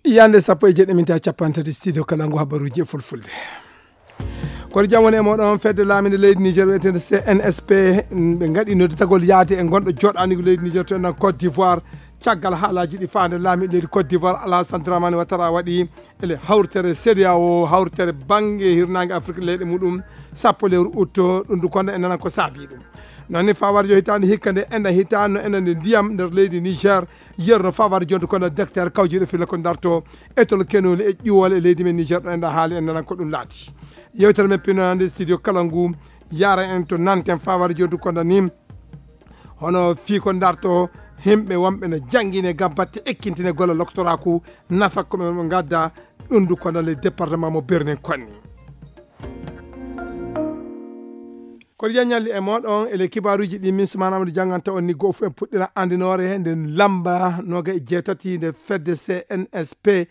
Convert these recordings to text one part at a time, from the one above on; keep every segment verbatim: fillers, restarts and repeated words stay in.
Yande sappo e jeɗɗi minti capanɗe tati, studio kala ngu habaruji e fulfulde. Kono jam woni e moɗon, fedde laaminde leydi Niger wiyeteende C N S P, ɓe ngaɗi nodditagol yaade e gonɗo joɗanigu leydi Niger to enɗan Côte d'Ivoire. Caggal haalaji ɗi faande laamiɗo leydi Côte d'Ivoire, Alassane Dramane Ouattara, waɗi ele hawritere C E D E A O, hawritere bannge hirnaange Afrique leyɗe muɗum, sappo lewru août, ɗum du konda en nanan ko saabi ɗum. Noon ni fawar jo hitaande hikka nde enɗan hitaande no enɗan nde ndiyam nder leydi Niger, yerno fawar jonde kono docteur kawjiɗo filla ko darto e tol kenoli e ƴiwole e leydi men Niger ɗo enɗan haali en nanan ko ɗum laati. Yewtere men pinande studio kala ngu yara en to nanten fawar jonde kono ni hono fii ko darto himɓe wonɓe no janngine ngam batte ekkintine golle loktoraku nafa ko ɓe ngadda ɗum du kono le département mo Birnin Konni. Kono yen ñalli e moɗon ele kibaaruji ɗi min Sumana Amadou jannganta on ni goo fu en puɗɗira andinoore nde lamba noga e jeetati nde fedde C N S P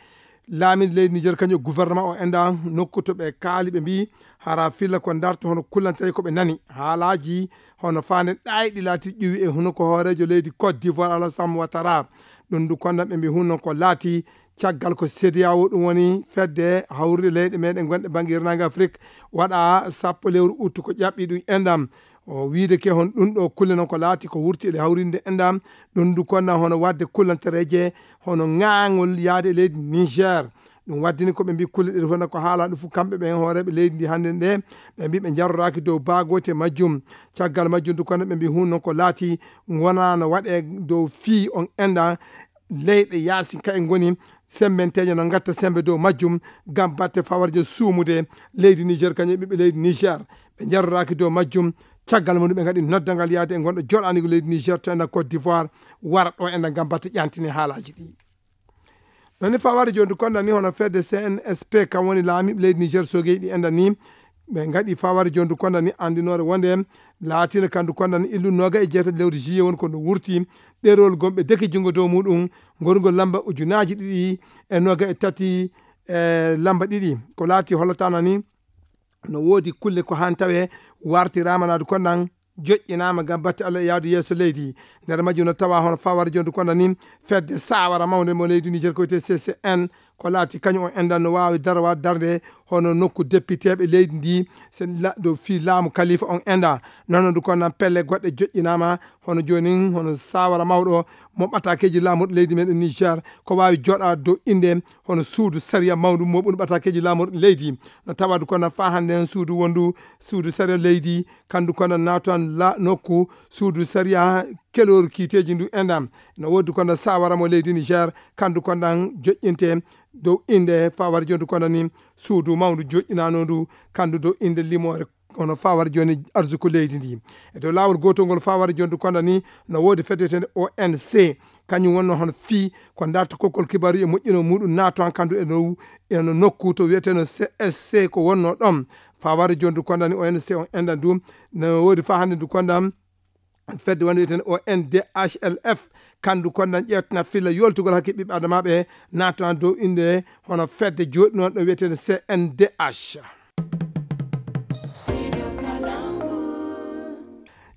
laamiɗo leydi Niger kañum e gouvernement o enɗan nokku to ɓe kaali ɓe mbi hara filla ko darto hono kullantere ko ɓe nani haalaji hono faande ɗayɗi laati ƴuwi e huno ko hoorejo leydi Côte d'Ivoire Alassane Ouattara. Ɗum du konda ɓe mbi hunno ko laati caggal ko C E D E A O ɗum woni fedde hawrude leyɗe meɗen gonɗe bannge hirnaange Afrik waɗa sappo lewru août ko ƴaɓɓi ɗum enɗan. O wiide ke hon ɗum ɗo kulle noon ko laati ko wurti ele hawrinde enɗan. Ɗum du konda hono waɗde kullantereeje hono ŋaangol yaade e leydi Niger. Ɗum waddini ko ɓe mbi kulle ɗe hono ko haala ɗum fof kamɓe ɓen hooreeɓe leydi ndi hannde nde ɓe mbi ɓe jarroraaki dow baagooti e majjum. Caggal majjum du konda ɓe mbi hun noon ko laati wona no waɗe dow fii on enɗan leyɗe yaasin ka en ngoni sembenteeje no ngatta sembe dow majjum ngam batte fawarjo suumude leydi Niger kañum e ɓiɓɓe leydi Niger. Ɓe jarroraaki dow majjum. Caggal mum ɓe ngaɗi noddangal yaade e gonɗo joɗanigo leydi Niger to enɗan Côte d'Ivoire wara ɗo enɗan ngam batte ƴantine haalaji ɗi. Noon ni fawari joni du konda ni hono fedde C N S P kam woni laamiiɓe leydi Niger sogeji ɗi enɗan ni ɓe ngaɗi fawari joni du konda ni andinoore wonde laatino kandu konda ni illu noga e jeetati lewru juillet woni ko ndu wurti ɗerol gomɓe deke junngo dow muɗum ngorngol lamba ujunaji ɗiɗi e noga e tati e lamba ɗiɗi ko laati hollatana ni no woodi kulle ko han tawe wartirama naadu kondan joƴƴinama ngam batte Allah e yaadu yeeso leydi. Nder majjum no tawa hono fawar jondu konda ni fedde sawara mawnde mo leydi Niger ko wiyete C C N ko laati kañum on enɗan no waawi darwa darnde hono nokku depiteeɓe leydi ndi se la- dow fii laamu kalifa on enɗa. Noon du kondan pelle goɗɗe joƴƴinaama hono joonin hono sawara mawɗo mo ɓatakeeji laamorɗi leydi meɗen Niger ko waawi joɗa dow innde hono suudu sariya mawndu mo ɓuri ɓatakeeji laamorɗi leydi. No tawa du kondan faa hannde heen suudu wondu suudu sariya leydi kandu kondan naatan la nokku suudu sariya keloru kiiteeji ndu enɗan. No woodi kondan sawara mo leydi Niger kandu kondan joƴƴinte dow innde fawar jondu kondan ni suudu mawndu joƴƴinanondu kandu dow innde limoore kono fawar joni arsuku leydi ndi. E dow laawol gotol ngol fawar jondu kondan ni no woodi fedde wiyetende O N C kañum wonno hono fii ko darta kokkol kibaaru e moƴƴino muɗum naato han kandu e no eno nokku to wiyeteno C S C ko wonno ɗon. Fawar jondu kondan ni O N C on enɗan du no woodi fa hannde du kondan fedde wonde wiyeten O N D H L F kandu kondan ƴeewtana filla yoltugol hakke ɓiɓɓe adamaɓe naato dow innde hono fedde joɗɗi noon ɗo wiyeten C N D H.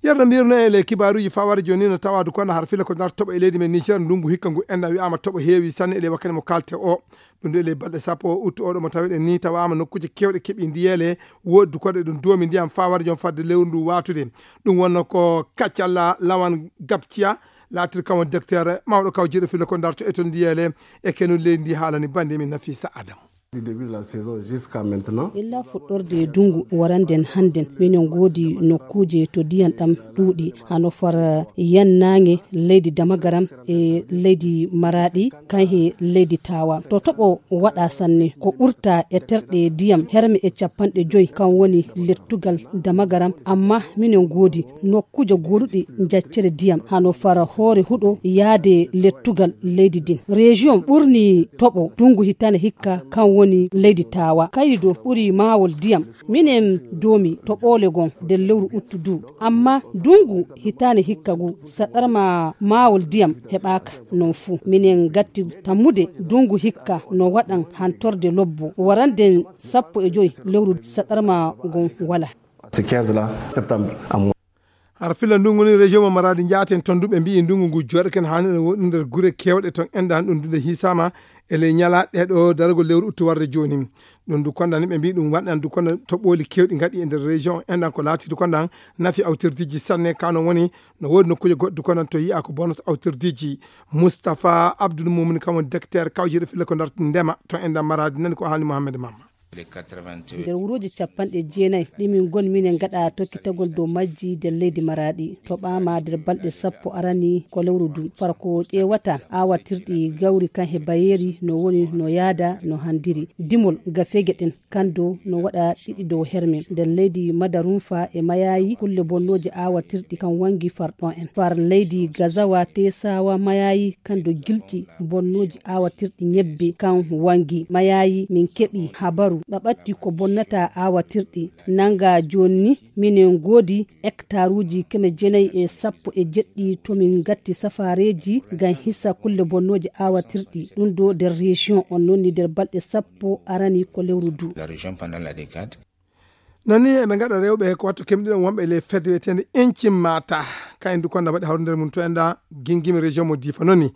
Yerno mbirno e le kibaaruji fawar joni no tawadu kono har fila ko nar toɓo e leydi men Niger ndungu hikka ngu enɗan wi'ama toɓo heewi sanne e le wakkati mo kalte o. Ɗum ɗo ele balɗe sappo o uttu oɗo mo tawiɗen ni tawaama nokkuuje kewɗe keɓi ndiyeele woɗɗi koɗe ɗum doomi ndiyam fawar jom fadde lewru ndu watude. Ɗum wonno ko kaccalla lawan gabciya laatir kam docteur mawɗo kaw jeeɗo filo ko darto e ton ndiyeele e kenul leydi ndi haalani bande min Nafisa Adam. Du début de la saison jusqu'à maintenant. Illa fuɗɗorde e dungu waranden hannden minen ngoodi nokkuuje to diyan ɗam ɗuuɗi hano fara yennaange leydi damagaram e leydi maraɗi kan he leydi tawa to toɓo waɗa sanne ko ɓurta e terɗe diyam herme e capanɗe joyi kan woni lettugal damagaram amma minen ngoodi nokkuuje goɗuɗi jaccere diyam hano fara hoore huɗo yaade lettugal leydi din région ɓurni toɓo dungu hitane hikka kan woni leydi tawa kayri do ɓuri mawol diyam minen domi to ɓoole gon nder lewru uttu du amma dungu hitane hikka gu saɗarma mawol diyam heɓaka non fuu minen gatti tammude dungu hikka no waɗan hantorde lobbo waranden sappo e joyi lewru saɗarma gon wala. C'est quinze là, septembre. Har filla ndungu ni, région mo Maradi njaaten toon du, ɓe mbiyi ndungu ngu jooɗoken haani ene woɗɗi nder gure keewɗe toon, enɗan ɗum dude hiisaama e ley ñalaaɗe ɗo daragol lewru uttu warde jooni. Ɗum du kondan ni ɓe mbiyi ɗum waɗan du kondan toɓooli keewɗi ngaɗi e nder région, enɗan ko laati du kondan nafi awtirdiiji sanne. Kano woni no woodi nokkuuje goɗɗe du kondan to yi'a ko bonata awtirdiiji. Moustapha Abdoul Moumin kam woni directeur kawjere filla ko ndarti ndema to enɗan Maradi, nani ko haali Mohamed Mamma. Nder wuruuji capanɗe jeenayi ɗi min ngoni minen ngaɗa tokkitagol dow majji nder leydi Maraaɗi, toɓaama nder balɗe sappo arani ko lewru du. Fara ko ƴeewata aawatirɗi gawri kan he bayeeri no woni no yaada no handiri. Dimol gafeeje ɗen kando no waɗa ɗiɗi dow herme. Nder leydi Madarunfa e Mayayi kulle bonnooje aawatirɗi kan wangi far ɗon en. Far leydi Gazawa Tesawa Mayayi kando gilƴi bonnooji aawatirɗi ñebbe kan wangi. Mayayi min keɓi habaru ɓaɓatti ko bonnata aawatirɗi. Nanga jooni ni minen ngoodi hectaruuji keme jeenayi e sappo e jeɗɗi to min ngatti safaareeji ngam hisa kulle bonnooje aawatirɗi. Ɗum ɗo nder région on noon ni nder balɗe sappo arani ko lewru du. La région pendant la décade. Noon ni eɓe ngaɗa rewɓe ko wattu kemɗiɗon wonɓe e ley fedde wiyeteende Encim Mata. Kayen du konda mbaɗi hawri nder mum to enɗa gingimi région mo Difa noon ni.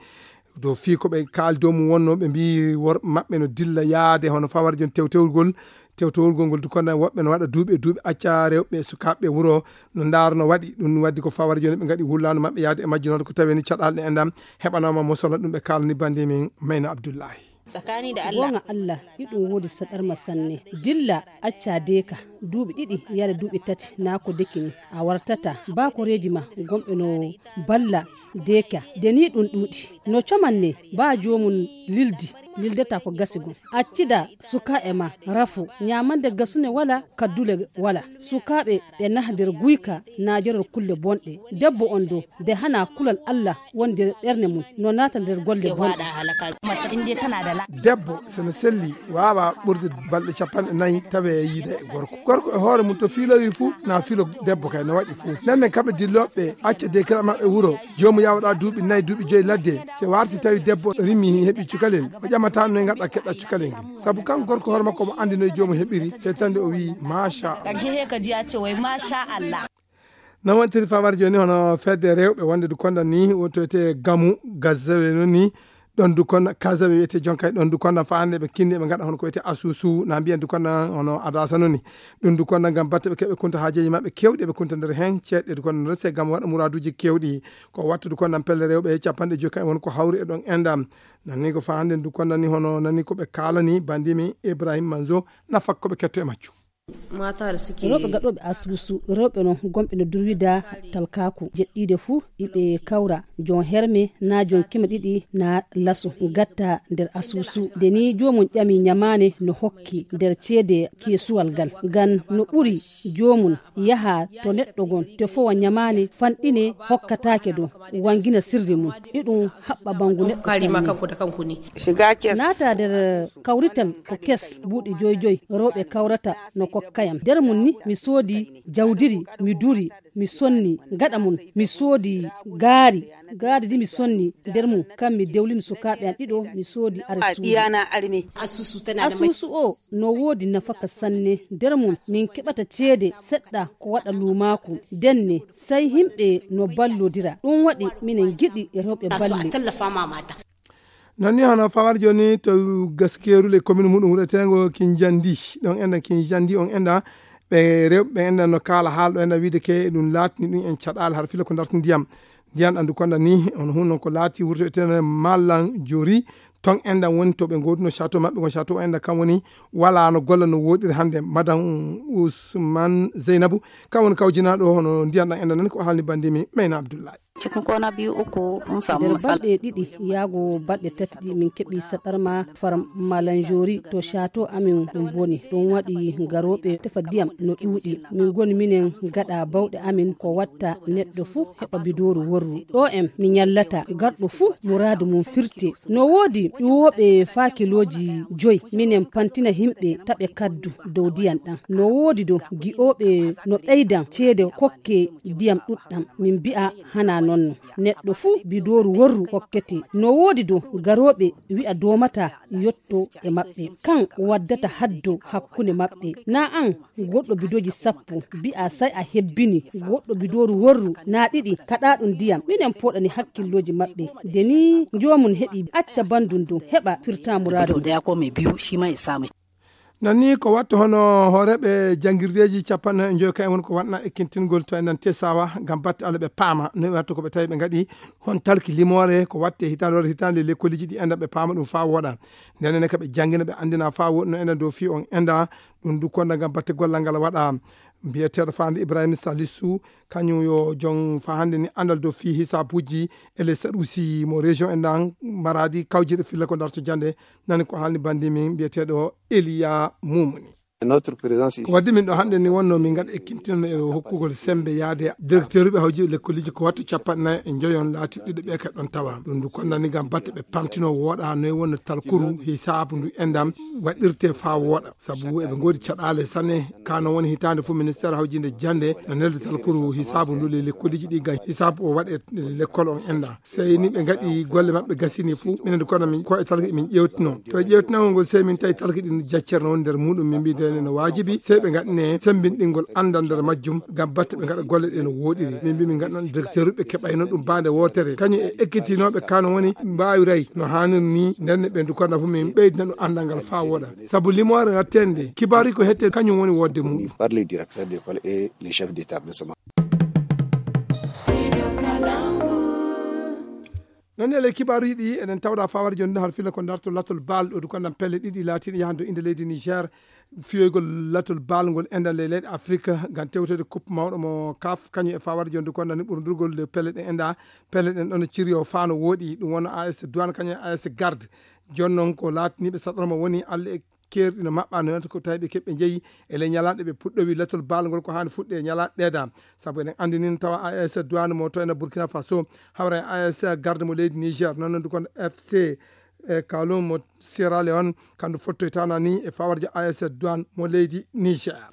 Dow fii ko ɓe kaali dow mum wonno ɓe mbiyi worɓe maɓɓe no dilla yaade hono fawar jon tewtewgol. Tewtewgol ngol du konda woɓɓe no waɗa duuɓi e duuɓi acca rewɓe sukaaɓe wuro no ndaara no waɗi. Ɗum waddi ko fawar joni ɓe ngaɗi wullaandu maɓɓe yaade e majjunoode ko tawi ni caɗaal ɗe enɗam heɓanaama mosola ɗum ɓe kaalani bandi min Mayna Abdullahi. Tsakani da Allah. Goonga Allah, iɗum woodi saɗarma sanne. Dilla, acca deeka, duuɓi ɗiɗi yaade duuɓi tati, naa ko deki ni. A wartata, baa koreeji ma, gomɓe no balla deeka. De ni ɗum ɗuuɗi. No coman ne, baa joomum lildi, lildata ko gasi gom. Accida sukaaɓe ma, rafo, ñaamande gasune wala, kaddule wala. Sukaaɓe ɓe nah nder guyka, naa joror kulle bonɗe. Debbo on do, de hana kulal Allah woni nder ɓernde mum, no naata nder golle bonɗe. Debbo, so no selli, waawa ɓurde balɗe capanɗe nayi tawe yiida e gorko. Gorko e hoore mum to fiilowi fuu, na filo debbo kay no waɗi fuu. Nden nden kamɓe dillooɓe, acca de kala maɓɓe wuro, joomu yawoɗa duuɓi nayi, duuɓi joyi ladde, se warti tawi debbo rimi heɓi cukalel, o ƴamata no ngaɗa keɗɗa cukalel ngel. Sabu kan gorko hoore makko mo andi no joomu heɓiri, se tande o wi'i, "Masha Allah." Karshe he ka ji ya ce wai, "Masha Allah." No wontiri famar joni hono fedde rewɓe wonde du konda ni, wotoyte gamu, gazzawe no ni, ɗon du konda, kazawe wiyete jonkay, ɗon du konda fa hande ɓe kinni ɓe ngaɗa hono ko wiyete asusu, na mbiyan du konda hono adasa no ni. Ɗum du konda ngam batte ɓe keɓe kunta haajeji maɓɓe kewɗi ɓe kunta nder hen, ceeɗɗe du konda rese ngam waɗa muraduji kewɗi. Ko wattu du konda pelle rewɓe capanɗe joyi kan won ko hawri e ɗon endam. Nanni ko fa hande du konda ni hono nanni ko ɓe kalani bandimi Ibrahim Manzo na fakko ɓe ketto e maccu. Rewɓe gaɗooɓe asusu, rewɓe non gomɓe no durwida talkaaku, jeɗɗiide fuu iɓe kawra, jon herme naa jon keme ɗiɗi naa laso, gatta nder asusu. Nde ni joomum ƴami ñamaane no hokki nder ceede keesuwal ngal, ngam no ɓuri joomum yaha to neɗɗo gon, tefowa ñamaane fanɗine hokkataake ɗum, wangina sirri mum, iɗum haɓɓa bangu neɗɗo sanne. Naata nder kawrital ko kes buuɗi joy joy rewɓe kawrata no kokkayam. Nder mum ni mi soodi jawdiri, mi duri, mi sonni gaɗa mum, mi soodi gaari, gaari di mi sonni nder mum, kam mi dewlini sukaaɓe am ɗiɗo, mi soodi arsuuji. Asusu o no woodi nafaka sanne, nder mum min keɓata ceede seɗɗa ko waɗa luumaaku, denne sey himɓe no ballodira. Ɗum waɗi minen ngiɗi rewɓe balle. Noon ni hono fawar jooni to gaskeeru le commune muɗum wuɗeteengo Kinjandi, ɗon enda Kinjandi on enda ɓe rewɓe ɓe enda no kaala haal ɗo enda wiide ke ɗum laatini ɗum en caɗaale har fila ko darti ndiyam. Ndiyam ɗam du konda ni on hun non ko laati wurto etene Mallan Jori, ton enda woni to ɓe ngoduno château maɓɓe gon château enda kam woni wala no golla no woɗiri hannde. Madame Ousmane Zeynabou kam woni kawjinaɗo hono ndiyam ɗam enda nani ko haalni bandimi Mayna Abdoulaye. Cikin kwana biyu uku mun samu matsala. Nder balɗe ɗiɗi yaago balɗe tati ɗi min keɓi saɗarma far malanjori to château amin ɗum boni. Ɗum waɗi garooɓe tefa ndiyam no ɗuuɗi. Min ngoni minen gaɗa bawɗe amin ko watta neɗɗo fuu heɓa bidooru worru. Ɗo en mi ñallata, garɗo fuu muraadu mum firte. No woodi ƴuwooɓe faa kilooji joy. Minen pantina himɓe taɓe kaddu dow ndiyam ɗam. No woodi do gi'ooɓe no ɓeydan ceede kokke ndiyam ɗuɗɗam. Min mbi'a hana non. Neɗɗo fuu bidooru worru hokkete. No woodi dow garooɓe wi'a doomata yotto e maɓɓe. Kan waddata haddo hakkunde maɓɓe. Naa an goɗɗo bidooji sappo, bi'a sai a hebbini goɗɗo bidooru worru naa ɗiɗi kaɗaaɗum ndiyam. Minen pooɗani hakkillooji maɓɓe. Nde nii joomum heɓi acca bandum dow heɓa firta muraadu. Nan ni ko watta hono hooreeɓe janngirdeeji capanɗe nayi e joy kayen woni ko waɗna ekkintingol to enɗan Tesawa ngam batte Allah ɓe paama no watta ko ɓe tawi ɓe ngaɗi hon talki limoore ko watte hitaande walla hitaande lekkoliji ɗi enɗan ɓe paama ɗum faa wooɗa. Nden ne ka ɓe janngina ɓe anndina faa wooɗi no enɗan dow fii on enɗan ɗum du konda ngam batte gollal ngal waɗa. Mbiyeteeɗo faande Ibrahima Salisu kañum yo jon faa hannde ni anndal dow fii hisaabuji e les saɗusi mo région enɗan Maradi kawjirɗe filla ko darto jannde. Nani ko haalni banndi min mbiyeteeɗo Eliya Mumuni. Ko waddi min ɗo hannde ni wonno min ngaɗa ekkintinano e hokkugol sembe yaade directeur ɓe hawji lekkoliji ko wattu capanɗe nayi e njoyon laati ɗiɗo ɓe ka ɗon tawa ɗum ndu konnani ngam batte ɓe pamtino wooɗa noy wonno talkuru hisaabu ndu enɗan waɗirte faa wooɗa sabu eɓe ngoodi caɗaale sanne. Kano woni hitaande fof ministère hawjinde jannde no nelde talkuru hisaabu ndu le lekkoliji ɗi ngam hisaabu o waɗe lekkol on enɗan. Sey ni ɓe ngaɗi golle maɓɓe gasini fuu minen kono min ko e talki min ƴewtino to e ƴewtinagol ngol sey min tawi talki ɗin jaccere noon nder muɗum min mbiɗen no waajibi sey ɓe ngaɗine sembinɗingol anndal nder majjum ngam batte ɓe ngaɗa golle ɗe no wooɗiri min mbi min ngaɗa noon directeur ɓe keɓayno ɗum baande wootere kañum e ekkitinooɓe kano woni mbaawiray no haanir ni nden ne ɓe ndu kono fof min ɓeydina ɗum anndal ngal faa wooɗa sabu limoore wattende kibaari ko hette kañum woni wodde muɗum. Par les directeurs d'école et les chefs d'établissement. Non e ley kibaaruji ɗi eɗen tawda fawar jonde har fila ko darto latol bal ɗo dukanɗan pelle ɗiɗi laatiɗe yahande inde leydi Niger fiyoygol latol bal ngol enɗan ley leyɗe Afrique ngam tewtede coupe mawɗo mo kaf kañum e fawar jonde konnani ɓurdurgol le pelle ɗe enɗa pelle ɗen ɗon ciriyo fano woɗi ɗum wona A S Douane kañum e A S Garde. Jon non ko laatiniɓe saɗorma woni Allah e keerɗi no maɓɓa no yonata ko tawi ɓe keɓɓe jeeyi e ley ñalaaɗe ɓe puɗɗowi latol bal ngol ko haani fuɗɗe e ñalaaɗe ɗeeda. Sabu eɗen anndi nin tawa A S Douane mo to ena Burkina Faso hawra e A S Garde mo leydi Niger noon nondu kon F C e Kalum mo Sierra Leone kandu fottoytana ni e fawarjo A S Douane mo leydi Niger.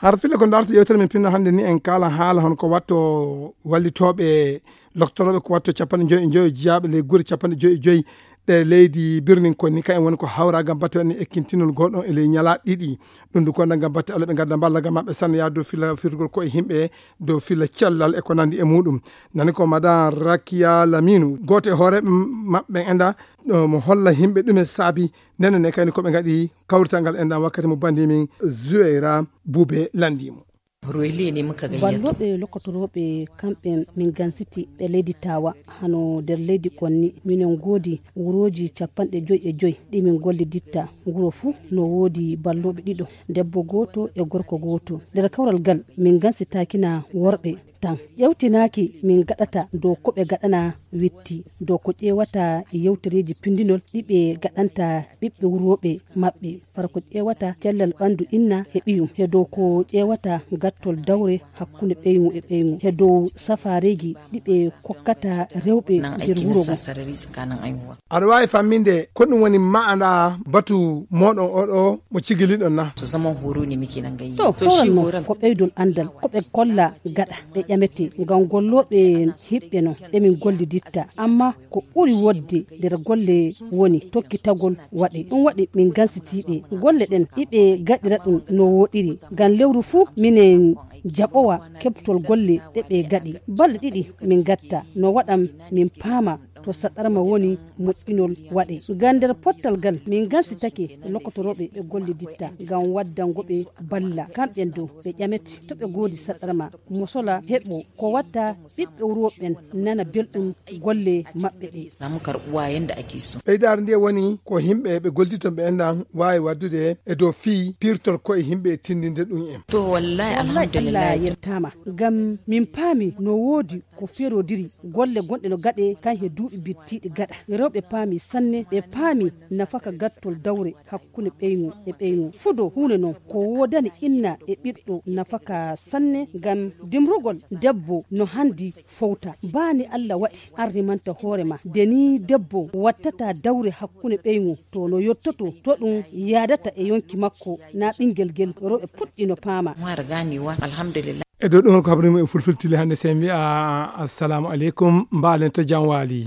Har fila ko darta yewtere min pinna hannde ni en kala haala hon ko watto wallitooɓe loktorooɓe ko watto capanɗe joyi e joyi jiyaaɓe ley gure capanɗe joyi e joyi ɗe leydi birnin kon ni kayen woni ko hawra gam batte waɗni ekkintinol goɗɗo e ley ñalaaɗe ɗiɗi. Ɗum du konda gam batte Allah ɓe gadda mballa gam maɓɓe sanne yaade dow fila firgol ko e yimɓe dow fila cellal e ko nandi e muɗum. Nani ko madan Rakiya Laminu gooto e hooreɓe maɓɓe enda mo holla yimɓe ɗume saabi. Ndenen e kayni ko ɓe ngaɗi kawrital ngal enɗan wakkati mo bandi min Zuweyra Bube landi mo. Royle ne muka gayyato. Balloɓe lokotorooɓe kamɓe min gansiti ɓe leydi Tawa hano nder leydi konni minen ngoodi wurooji capanɗe joyi e joyi ɗi min golliditta. Wuro fuu no woodi balloɓe ɗiɗo, debbo gooto e gorko gooto. Nder kawral gal min gansitaakina worɓe tan. Ƴewtinaaki min gaɗata dow ko ɓe gaɗana witti, dow ko ƴeewata yewtereeji pindinol ɗi ɓe gaɗanta ɓiɓɓe wurooɓe maɓɓe, fara ko ƴeewata cellal ɓanndu inna e ɓiyum, e dow ko ƴeewata gattol dawre hakkunde ɓeyŋu e ɓeyŋu, e dow safaareeji ɗi ɓe kokkata rewɓe nder wuro ngon. Aɗa waawi famminde ko ɗum woni maanaa batu mooɗon oɗo mo cigiliɗon na? To zaman horo ne muke nan gayi. To, to shi horal mo horal ko ɓeydol anndal, ko ɓe kolla gaɗa ɓe ƴamete ngam gollooɓe hiɓɓe non ɓe min golliditta. Amma ko ɓuri wodde nder golle woni tokkitagol waɗe. Ɗum waɗi min gansitiiɓe golle ɗen ɗi ɓe gaɗira ɗum no woɗiri. Ngam lewru fuu minen jaɓowa keɓtol golle ɗe ɓe gaɗi. Balɗe ɗiɗi min gatta no waɗan min paama to saɗarma woni moƴƴinol waɗe. Ngam nder pottal gal min gansitake lokotorooɓe ɓe golliditta ngam waddango ɓe balla. Kamɓen dow ɓe ƴamete to ɓe goodi saɗarma mo sola heɓo ko watta ɓiɓɓe wuro ɓen nana belɗum golle maɓɓe ɗe. Samu karɓuwa yanda ake so. Ɓeydaare nde woni ko yimɓe ɓe golliditon ɓe enɗan waawi waddude e dow fii pirtol koye yimɓe e tindinde ɗum en. To wallahi alhamdulillah. Alla yettaama. Ngam min paami no woodi ko ferodiri golle gonɗe no gaɗe kan he duuɗi bittiiɗi gaɗa. Rewɓe paami sanne, ɓe paami nafaka gattol dawre hakkunde ɓeyŋo e ɓeyŋo. Fudo huunde non ko woodani inna e ɓiɗɗo nafaka sanne, ngam dimrugol debbo no handi fowta. Baani Alla waɗi an rimanta hoore ma. De ni debbo wattata dawre hakkunde ɓeyŋo, to no yottoto, to ɗum yaadata e yonki makko, na ɓingel gel. Rewɓe puɗɗi no paama. E dow ɗum ko habri mum e fulfultili hannde, sen mbiya assalamu aleykum, mbaalen to jam waali.